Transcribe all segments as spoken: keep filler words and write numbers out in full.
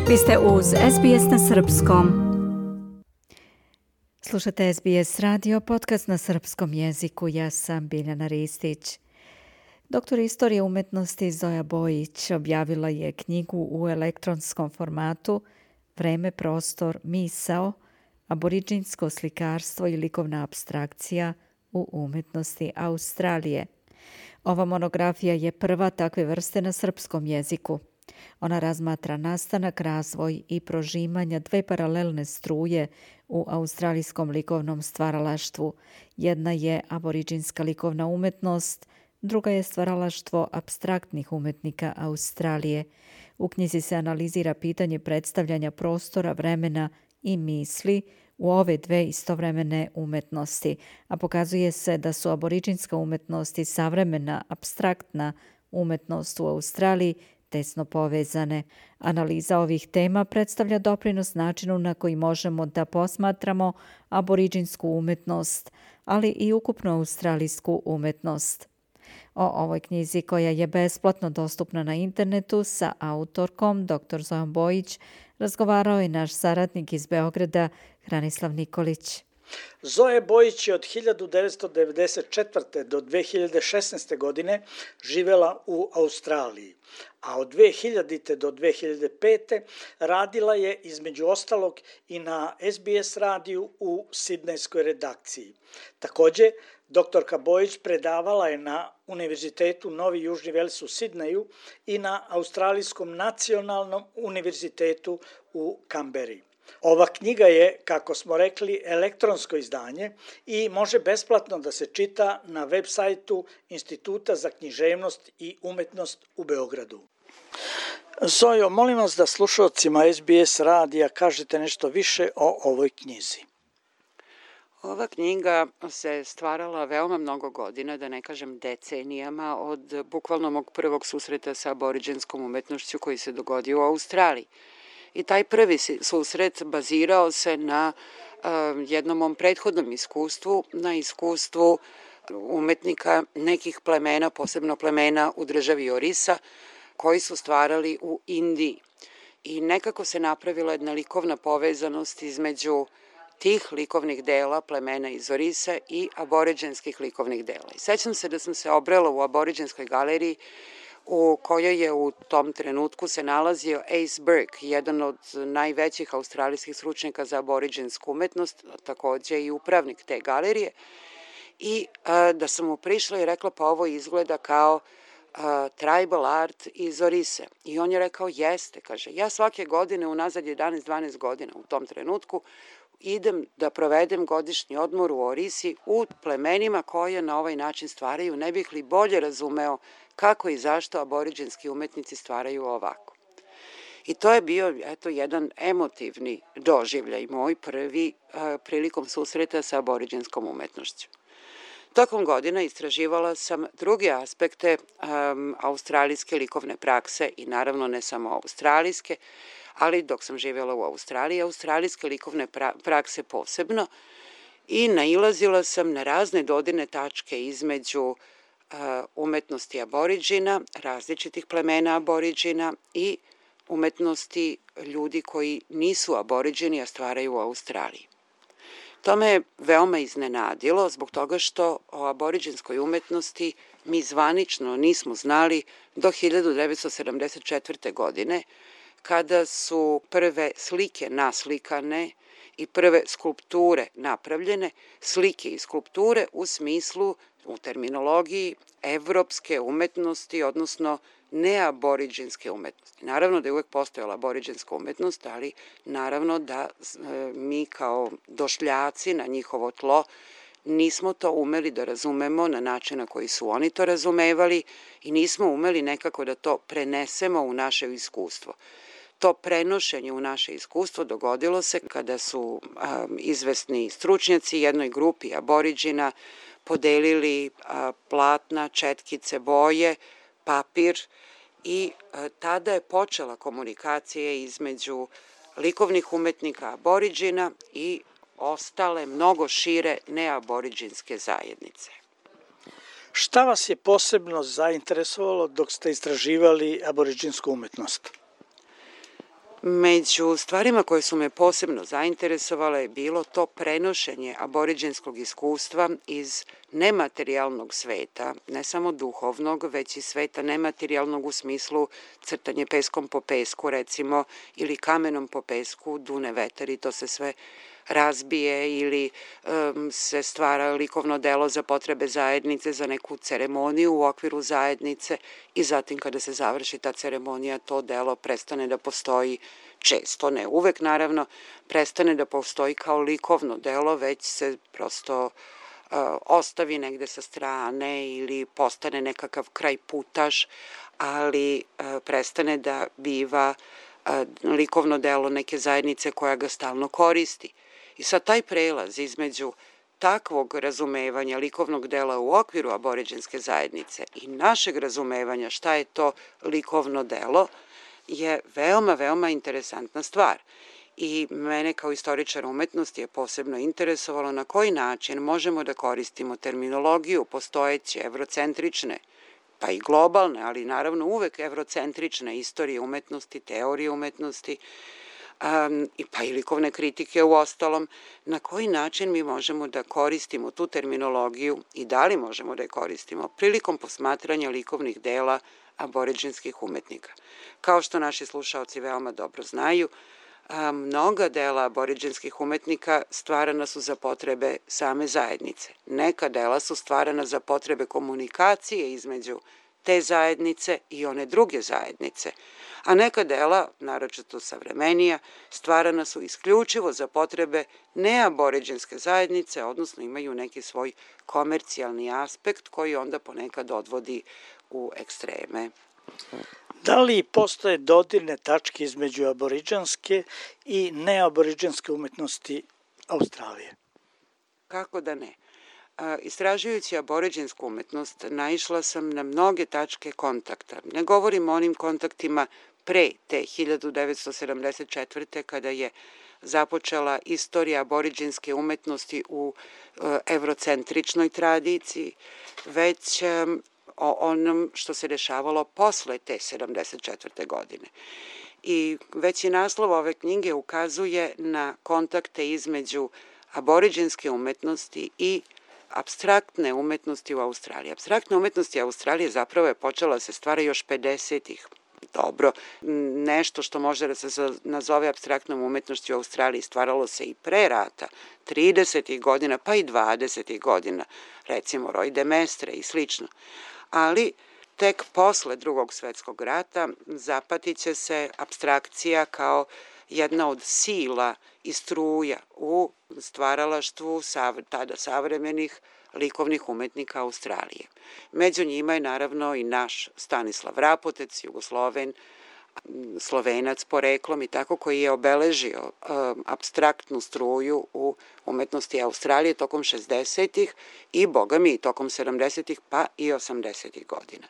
Vi ste uz S B S na srpskom. Slušate S B S radio, podcast na srpskom jeziku. Ja sam Biljana Ristić. Doktor istorije umetnosti Zoja Bojić objavila je knjigu u elektronskom formatu Vreme, prostor, misao, aboriđinsko slikarstvo i likovna apstrakcija u umetnosti Australije. Ova monografija je prva takve vrste na srpskom jeziku. Ona razmatra nastanak, razvoj i prožimanja dve paralelne struje u australijskom likovnom stvaralaštvu. Jedna je aboriđinska likovna umetnost, druga je stvaralaštvo apstraktnih umetnika Australije. U knjizi se analizira pitanje predstavljanja prostora, vremena i misli u ove dve istovremene umetnosti, a pokazuje se da su aboriđinska umetnost i savremena apstraktna umetnost u Australiji tesno povezane. Analiza ovih tema predstavlja doprinos načinu na koji možemo da posmatramo aboriđinsku umetnost, ali i ukupnu australijsku umetnost. O ovoj knjizi, koja je besplatno dostupna na internetu, sa autorkom dr Zojom Bojić razgovarao je naš saradnik iz Beograda, Hranislav Nikolić. Zoja Bojić je od hiljadu devetsto devedeset četvrte. do dve hiljade šesnaeste. godine živela u Australiji, a od dve hiljadite. do dve hiljade pete. radila je između ostalog i na S B S radiju u sidnejskoj redakciji. Također, doktorka Bojić predavala je na Univerzitetu Novi Južni Vels u Sidneju i na Australijskom nacionalnom univerzitetu u Kamberi. Ova knjiga je, kako smo rekli, elektronsko izdanje i može besplatno da se čita na web sajtu Instituta za književnost i umetnost u Beogradu. Zojo, molim vas da slušalcima S B S radija kažete nešto više o ovoj knjizi. Ova knjiga se stvarala veoma mnogo godina, da ne kažem decenijama, od bukvalno mog prvog susreta sa aboriđinskom umetnošću koji se dogodio u Australiji. I taj prvi susret bazirao se na uh, jednom mom prethodnom iskustvu, na iskustvu umetnika nekih plemena, posebno plemena u državi Orisa, koji su stvarali u Indiji. I nekako se napravila jedna likovna povezanost između tih likovnih dela plemena iz Orise i aboriđinskih likovnih dela. I sećam se da sam se obrela u aboriđinskoj galeriji u kojoj je u tom trenutku se nalazio Ace Burke, jedan od najvećih australijskih stručnjaka za aboriđinsku umetnost, također i upravnik te galerije, i a, da sam mu prišla i rekla pa ovo izgleda kao a, tribal art iz Orise. I on je rekao jeste, kaže, ja svake godine unazad jedanaest dvanaest godina u tom trenutku idem da provedem godišnji odmor u Orisi u plemenima koje na ovaj način stvaraju, ne bih li bolje razumeo kako i zašto aboriđinski umetnici stvaraju ovako. I to je bio eto jedan emotivni doživljaj moj prvi a, prilikom susreta sa aboriđinskom umetnošću. Tokom godina istraživala sam druge aspekte um, australijske likovne prakse i naravno ne samo australijske, ali dok sam živjela u Australiji, australijske likovne pra- prakse posebno, i nailazila sam na razne dodirne tačke između uh, umetnosti aboriđina, različitih plemena aboriđina i umetnosti ljudi koji nisu aboriđini, a stvaraju u Australiji. To me je veoma iznenadilo zbog toga što o aboriđinskoj umetnosti mi zvanično nismo znali do hiljadu devetsto sedamdeset četvrte. godine, kada su prve slike naslikane i prve skulpture napravljene, slike i skulpture u smislu, u terminologiji, evropske umetnosti, odnosno neaboriđinske umetnosti. Naravno da je uvek postojala aboriđinska umetnost, ali naravno da e, mi kao došljaci na njihovo tlo nismo to umeli da razumemo na način na koji su oni to razumevali i nismo umeli nekako da to prenesemo u naše iskustvo. To prenošenje u naše iskustvo dogodilo se kada su a, izvesni stručnjaci jednoj grupi aboriđina podelili a, platna, četkice, boje, papir i a, tada je počela komunikacija između likovnih umetnika aboriđina i ostale mnogo šire neaboriđinske zajednice. Šta vas je posebno zainteresovalo dok ste istraživali aboriđinsku umetnost? Među stvarima koje su me posebno zainteresovale je bilo to prenošenje aboriđenskog iskustva iz nematerijalnog sveta, ne samo duhovnog, već i sveta nematerijalnog u smislu crtanje peskom po pesku, recimo, ili kamenom po pesku, dune vetar i to se sve razbije ili um, se stvara likovno delo za potrebe zajednice, za neku ceremoniju u okviru zajednice i zatim kada se završi ta ceremonija, to delo prestane da postoji često, ne uvek naravno, prestane da postoji kao likovno delo, već se prosto uh, ostavi negde sa strane ili postane nekakav kraj putaš, ali uh, prestane da biva uh, likovno delo neke zajednice koja ga stalno koristi. I sad taj prelaz između takvog razumevanja likovnog dela u okviru aboriđenske zajednice i našeg razumevanja šta je to likovno delo je veoma, veoma interesantna stvar. I mene kao istoričar umetnosti je posebno interesovalo na koji način možemo da koristimo terminologiju postojeće evrocentrične, pa i globalne, ali naravno uvek evrocentrične istorije umetnosti, teorije umetnosti, Um, pa i likovne kritike u ostalom, na koji način mi možemo da koristimo tu terminologiju i da li možemo da je koristimo prilikom posmatranja likovnih dela aboriđenskih umetnika. Kao što naši slušaoci veoma dobro znaju, um, mnoga dela aboriđenskih umetnika stvarana su za potrebe same zajednice. Neka dela su stvarana za potrebe komunikacije između te zajednice i one druge zajednice, a neka dela, naročito savremenija, stvarana su isključivo za potrebe neaboriđenske zajednice, odnosno imaju neki svoj komercijalni aspekt koji onda ponekad odvodi u ekstreme. Da li postoje dodirne tačke između aboriđanske i neaboriđanske umetnosti Australije? Kako da ne? Istražujući aboriđensku umetnost, naišla sam na mnoge tačke kontakta. Ne govorim o onim kontaktima pre te hiljadu devetsto sedamdeset četvrte. kada je započela istorija aboriđenske umetnosti u evrocentričnoj tradiciji, već o onom što se dešavalo posle te sedamdeset četvrte. godine. I već i naslov ove knjige ukazuje na kontakte između aboriđenske umetnosti i apstraktne umetnosti u Australiji. Apstraktne umetnosti Australije zapravo je počela se stvara još pedesetih. Dobro, nešto što može da se nazove apstraktnom umetnošću u Australiji stvaralo se i pre rata, tridesetih godina, pa i dvadesetih godina, recimo Roy de Mestre i slično. Ali tek posle Drugog svetskog rata zapatit će se apstrakcija kao jedna od sila i struja u stvaralaštvu tada savremenih likovnih umetnika Australije. Među njima je naravno i naš Stanislav Rapotec, Jugosloven, Slovenac poreklom i tako, koji je obeležio um, apstraktnu struju u umetnosti Australije tokom šezdesetih i, boga mi, tokom sedamdesetih pa i osamdesetih godina.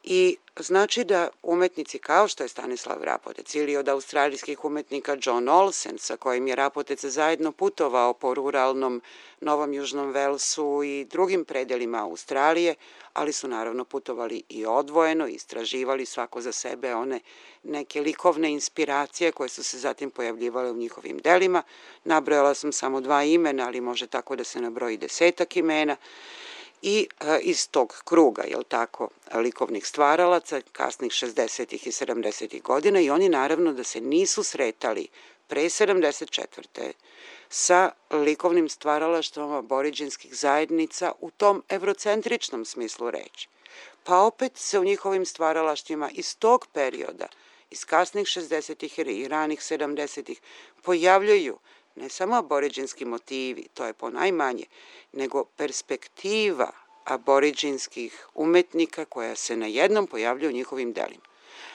I znači da umetnici kao što je Stanislav Rapotec ili od australijskih umetnika John Olsen, sa kojim je Rapotec zajedno putovao po ruralnom Novom Južnom Velsu i drugim predelima Australije, ali su naravno putovali i odvojeno, istraživali svako za sebe one neke likovne inspiracije koje su se zatim pojavljivale u njihovim delima. Nabrojala sam samo dva imena, ali može tako da se nabroji desetak imena. I e, iz tog kruga, jel tako, likovnih stvaralaca, kasnih šezdesetih i sedamdesetih godina, i oni naravno da se nisu sretali pre sedamdeset četvrte sa likovnim stvaralaštvom aboriđenskih zajednica u tom evrocentričnom smislu reči. Pa opet se u njihovim stvaralaštvima iz tog perioda, iz kasnih šezdesetih i ranih sedamdesetih, pojavljaju ne samo aboriđenski motivi, to je ponajmanje, nego perspektiva aboriđenskih umetnika koja se na jednom pojavlja u njihovim delima.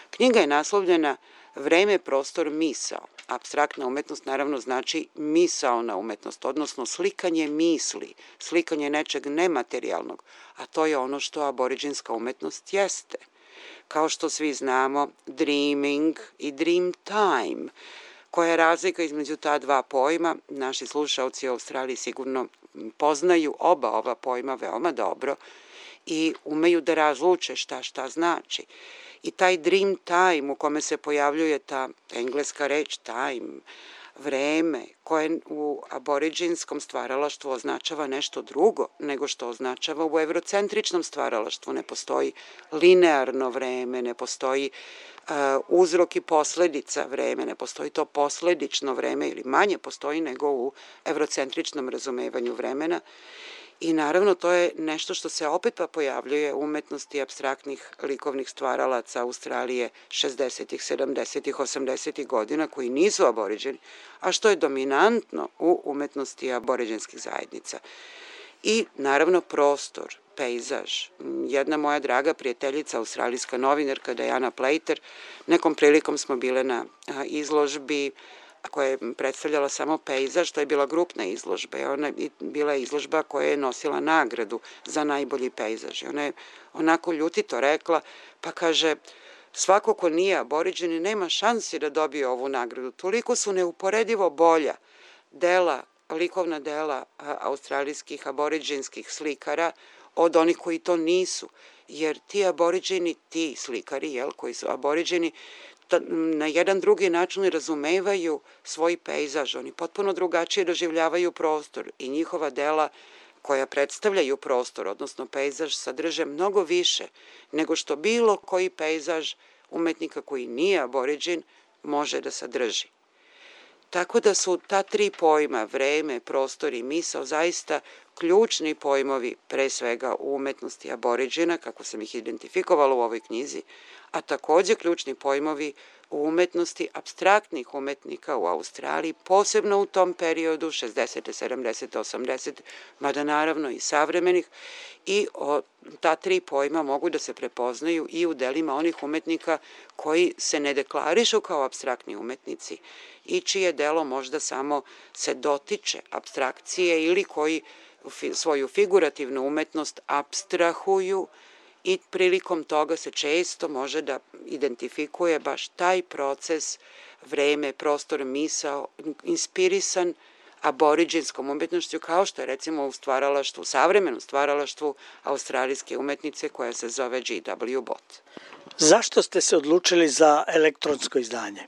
Knjiga je naslovljena Vreme, prostor, misao. Apstraktna umetnost naravno znači misaona umetnost, odnosno slikanje misli, slikanje nečeg nematerijalnog, a to je ono što aboriđenska umetnost jeste. Kao što svi znamo, dreaming i dream time. Koja je razlika između ta dva pojma? Naši slušaoci u Australiji sigurno poznaju oba ova pojma veoma dobro i umeju da razluče šta šta znači. I taj dream time u kome se pojavljuje ta engleska reč time, vreme, koje u aboriđinskom stvaralaštvu označava nešto drugo nego što označava u evrocentričnom stvaralaštvu. Ne postoji linearno vreme, ne postoji uh, uzrok i posledica vreme, ne postoji to posledično vreme ili manje postoji nego u evrocentričnom razumevanju vremena. I naravno to je nešto što se opet pa pojavljuje u umetnosti apstraktnih likovnih stvaralaca Australije šezdesetih, sedamdesetih, osamdesetih godina koji nisu aboriđeni, a što je dominantno u umetnosti aboriđenskih zajednica. I naravno prostor, pejzaž. Jedna moja draga prijateljica, australijska novinarka Diana Plater, nekom prilikom smo bile na izložbi koja je predstavljala samo pejzaž, to je bila grupna izložba. Ona je bila izložba koja je nosila nagradu za najbolji pejzaž. Ona je onako ljutito rekla, pa kaže, svako ko nije aboriđeni nema šansi da dobije ovu nagradu. Toliko su neuporedivo bolja dela, likovna dela australijskih aboriđenskih slikara od onih koji to nisu. Jer ti aboriđeni, ti slikari, jel, koji su aboriđeni, na jedan drugi način razumevaju svoj pejzaž, oni potpuno drugačije doživljavaju prostor i njihova dela koja predstavljaju prostor, odnosno pejzaž, sadrže mnogo više nego što bilo koji pejzaž umetnika koji nije aboriđen može da sadrži. Tako da su ta tri pojma, vreme, prostor i misao, zaista ključni pojmovi pre svega u umetnosti aboriđena, kako sam ih identifikovala u ovoj knjizi, a takođe ključni pojmovi u umetnosti apstraktnih umetnika u Australiji, posebno u tom periodu, šezdesetih, sedamdesetih, osamdesetih, mada naravno i savremenih, i o, ta tri pojma mogu da se prepoznaju i u delima onih umetnika koji se ne deklarišu kao apstraktni umetnici i čije delo možda samo se dotiče apstrakcije ili koji svoju figurativnu umetnost apstrahuju i prilikom toga se često može da identifikuje baš taj proces, vreme, prostor, misao, inspirisan aboriđenskom umetnošću, kao što je recimo u stvaralaštvu, savremenom stvaralaštvu australijske umetnice koja se zove G W Bott. Zašto ste se odlučili za elektronsko izdanje?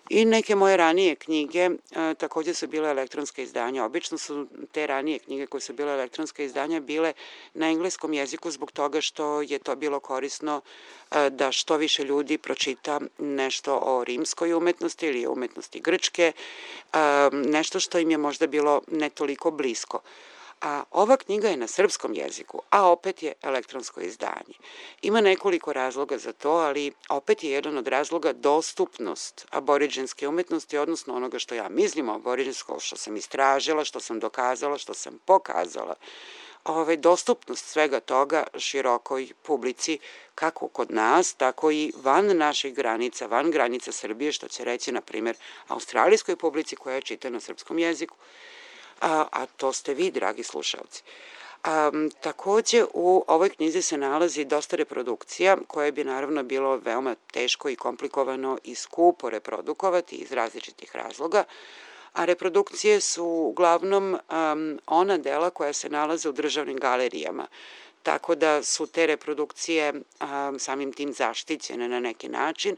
I neke moje ranije knjige e, takođe su bile elektronske izdanja. Obično su te ranije knjige koje su bile elektronske izdanja bile na engleskom jeziku zbog toga što je to bilo korisno e, da što više ljudi pročita nešto o rimskoj umetnosti ili umetnosti grčke, e, nešto što im je možda bilo ne toliko blisko. A ova knjiga je na srpskom jeziku, a opet je elektronsko izdanje. Ima nekoliko razloga za to, ali opet je jedan od razloga dostupnost aboriđenske umetnosti, odnosno onoga što ja mislim o aboriđenskom, što sam istražila, što sam dokazala, što sam pokazala. Ove, dostupnost svega toga širokoj publici, kako kod nas, tako i van naših granica, van granica Srbije, što će reći, na primjer, australijskoj publici koja čita na srpskom jeziku. A, a to ste vi, dragi slušalci. A, takođe, u ovoj knjizi se nalazi dosta reprodukcija, koje bi naravno bilo veoma teško i komplikovano i skupo reprodukovati iz različitih razloga, a reprodukcije su uglavnom um, ona dela koja se nalaze u državnim galerijama, tako da su te reprodukcije um, samim tim zaštićene na neki način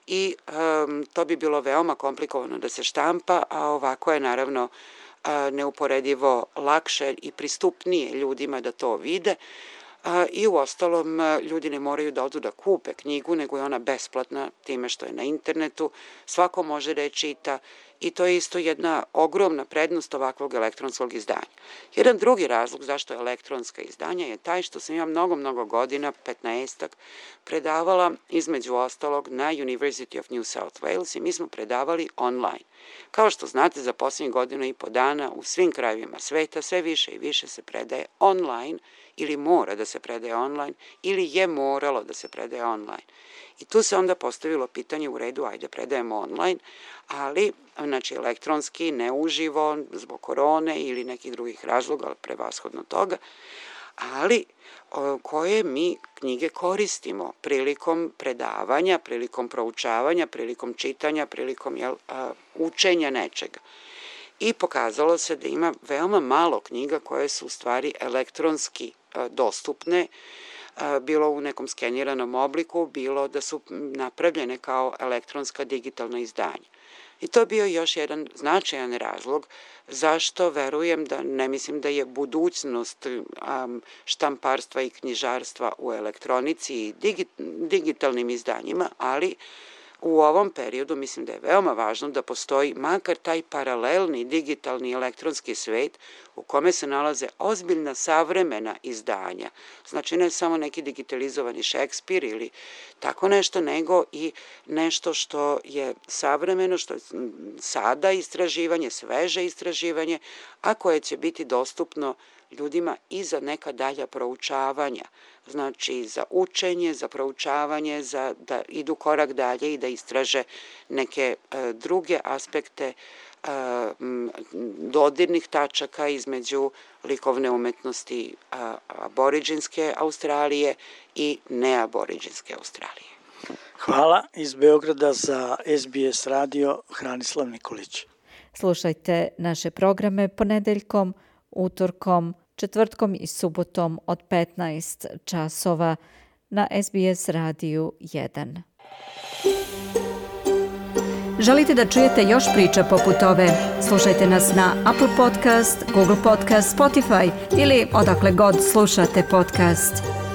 i um, to bi bilo veoma komplikovano da se štampa, a ovako je naravno neuporedivo lakše i pristupnije ljudima da to vide i u ostalom ljudi ne moraju da odu da kupe knjigu, nego je ona besplatna time što je na internetu, svako može da je čita i to je isto jedna ogromna prednost ovakvog elektronskog izdanja. Jedan drugi razlog zašto je elektronska izdanja je taj što sam ja mnogo, mnogo godina, petnaestak, predavala između ostalog na University of New South Wales i mi smo predavali online. Kao što znate, za posljednjih godinu i po dana u svim krajevima sveta sve više i više se predaje online ili mora da se predaje online ili je moralo da se predaje online. I tu se onda postavilo pitanje u redu, ajde predajemo online, ali znači elektronski, ne uživo, zbog korone ili nekih drugih razloga, prevashodno toga, ali koje mi knjige koristimo prilikom predavanja, prilikom proučavanja, prilikom čitanja, prilikom jel, učenja nečega. I pokazalo se da ima veoma malo knjiga koje su u stvari elektronski dostupne, bilo u nekom skeniranom obliku, bilo da su napravljene kao elektronska digitalna izdanja. I to je bio još jedan značajan razlog zašto verujem da, ne mislim da je budućnost um, štamparstva i knjižarstva u elektronici i digi, digitalnim izdanjima, ali u ovom periodu mislim da je veoma važno da postoji makar taj paralelni digitalni elektronski svet u kome se nalaze ozbiljna savremena izdanja. Znači ne samo neki digitalizovani Šekspir ili tako nešto, nego i nešto što je savremeno, što je sada istraživanje, sveže istraživanje, a koje će biti dostupno ljudima i za neka dalja proučavanja. Znači za učenje, za proučavanje, za da idu korak dalje i da istraže neke e, druge aspekte e, dodirnih tačaka između likovne umetnosti a, aboriđinske Australije i neaboriđinske Australije. Hvala. Iz Beograda za S B S radio Hranislav Nikolić. Slušajte naše programe ponedeljkom, utorkom, četvrtkom i subotom od petnaest časova na S B S radiju jedan. Želite da čujete još priča poput ove? Slušajte nas na Apple Podcast, Google Podcast, Spotify ili odakle god slušate podcast.